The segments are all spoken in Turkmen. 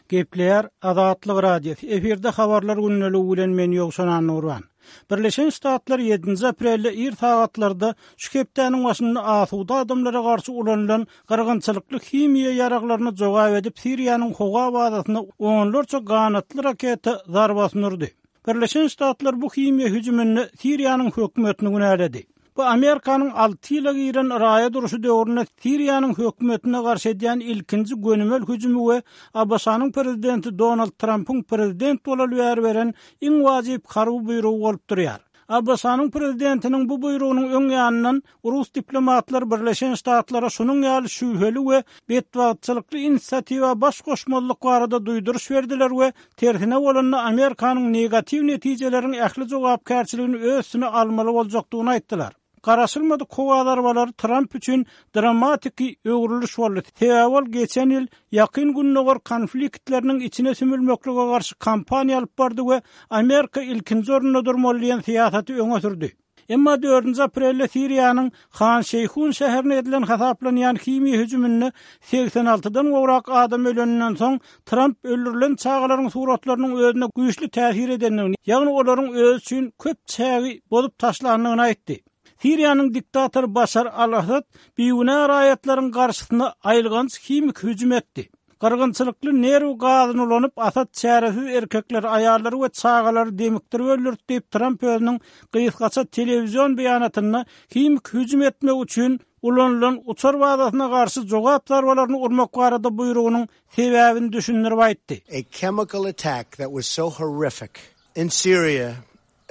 Gepleýär Azatlyk Radiosy, efirde Habarlar gündeligi bilen men Ýowşan Annagurban. Birleşen Ştatlar ýedinji aprelde ir sagatlarda şu hepdäniň başynda asuda adamlara garşy ulanylan gyrgynçylykly himiýa ýaraglaryna jogap edip Siriýanyň howa bazasyna onlarça ganatly raketa zarbasyny urdy. Birleşen Ştatlar bu himiýa hüjüminde Siriýanyň hökümetini günäledi. Bu Amerikanyň alty ýyla giren raýat urşy döwründe Siriýanyň hökümetine garşy edýän ilkinji gönümel hüjümi we ABŞ-nyň prezidenti Donald Trampyň prezident bolaly bäri beren iň wajyp harby buýrugy bolup durýar. ABŞ-nyň prezidentiniň bu buýrugynyň öň ýanyndan rus diplomatlary Birleşen Ştatlara şunuň ýaly şübheli we betbagtçylykly inisiatiwa baş goşmazlyk barada duýduryş berdiler we tersine bolanda Amerikanyň negatiw netijeleriň ähli jogapkärçiligini öz üstüne almaly boljakdygyny aýtdylar. Garaşylmadyk howa zarbalary Tramp üçin dramatiki öwrüliş boldy, sebäbi ol geçen ýyl Ýakyn Gündogar konfliktleriniň içine sümülmeklige garşy kampaniýa alyp bardy we Amerika ilkinji orunda durmaly diýen syýasaty öňe sürdi. Emma dördünji aprelde Siriýanyň Han Şeýhun şäherine edilen hasaplanýan himiýa hüjüminde segsen altydan gowrak adam öleninden soň, Tramp öldürilen çagalaryň suratlarynyň özüne güýçli täsir edendigini, ýagny olaryň özi üçin köp çägi bozup taşlandygyny aýtdy. Siriýanyň diktatory Başar al-Assad bigünä raýatlaryň garşysyna aýylganç himiki hüjüm etdi. Gyrgynçylykly nerw gazyny ulanyp, Asad çäresiz erkekleri, aýallary we çagalary demikdirip öldürdi diýip, Tramp özüniň gysgaça telewizion beýanatynda himiki hüjüm etmek üçin ulanylan uçar bazasyna garşy jogap zarbalaryny urmak barada buýrugynyň sebäbini düşündirip aýtdy. A chemical attack that was so horrific in Syria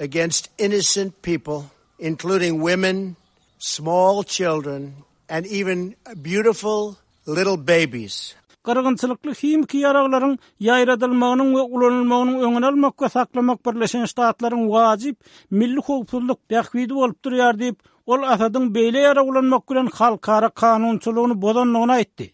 against innocent people, including women, small children and even beautiful little babies. Gyrgynçylykly himiki ýaraglaryň ýaýradylmagynyň we ulanylmagynyň öňüni almak we saklamak Birleşen Ştatlaryň wajyp milli howpsuzlyk bähbidi bolup durýar diýip, ol Asadyň beýle ýarag ulanmak bilen halkara kanunçylygyny bozandygyny aýtdy.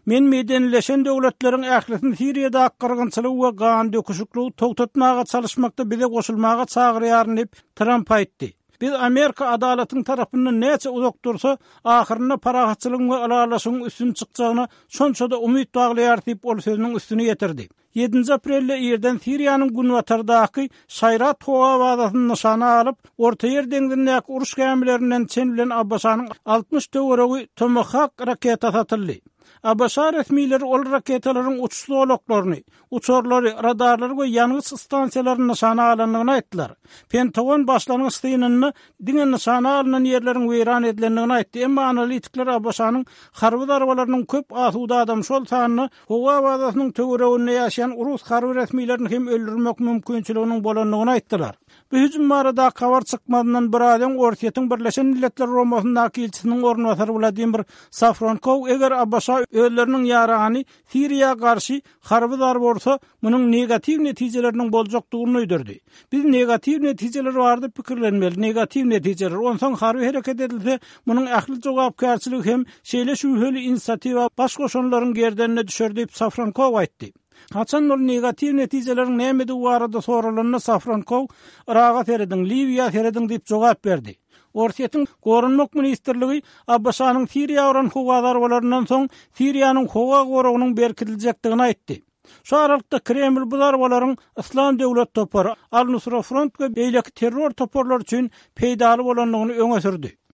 Men medenileşen döwletleriň ählisini Siriýadaky gyrgynçylygy we gandöküşikligi togtatmaga çalyşmakda bize goşulmaga çagyrýaryn diýip, Tramp aýtdy. Biz Amerika adalatyň tarapyndan näçe uzak dursa, ahyrynda parahatçylygyň we ylalaşygyň üstün çykjagyna şonça-da umyt baglaýarys diýip, ol sözüniň üstüni ýetirdi. Ýedinji aprelde irden Siriýanyň günbatardaky Şaýrat howa bazasyny nyşana alyp, Ortaýer deňzindäki uruş gämilerinden çen bilen ABŞ-nyň 60 töweregi Tomahawk raketasy atyldy. ABŞ resmileri ol raketalaryň uçuş zolaklaryny, uçarlary, radarlary we ýangyç stansiýalaryny nyşana alandygyny aýtdylar. Pentagon başlangyç synynda diňe nyşana alnan ýerleriň weýran edilendigini aýtdy, emma analitikler ABŞ-nyň harby zarbalarynyň köp asuda adam, şol sanda howa bazasynyň töwereginde ýaşaýan rus harby resmilerini hem öldürmek mümkinçiliginiň bolandygyny aýtdylar. Bu hüjüm baradaky habar çykmazyndan biraz öň Orsýetiň Birleşen Milletler Guramasyndaky ilçisiniň orunbasary Wladimir Safronkow eger ABŞ özleriniň ýarany Siriýa garşy harby zarba ursa, munuň negatiw netijeleriniň boljakdygyny duýdurdy. Biz negatiw netijeler barada pikirlenmeli, negatiw netijeler. Onsoň harby hereket edilse, munuň ähli jogapkärçiligi hem şeýle şübheli inisiatiwa baş goşanlaryň gerdenine düşer diýip, Safronkow aýtdy. Haçan ol negatiw netijeleriň nämedigi barada soralanda, Safronkow, Yraga serediň, Liwiýa serediň diýip jogap berdi. Orsýetiň Goranmak ministrligi ABŞ-nyň Siriýa uran howa zarbalaryndan soň Siriýanyň howa goragynyň berkidiljekdigini aýtdy. Şu aralykda Kreml bu zarbalaryň Yslam döwlet topary, Al-Nusra Front we beýleki terror toparlary üçin peýdaly bolandygyny öňe sürdi.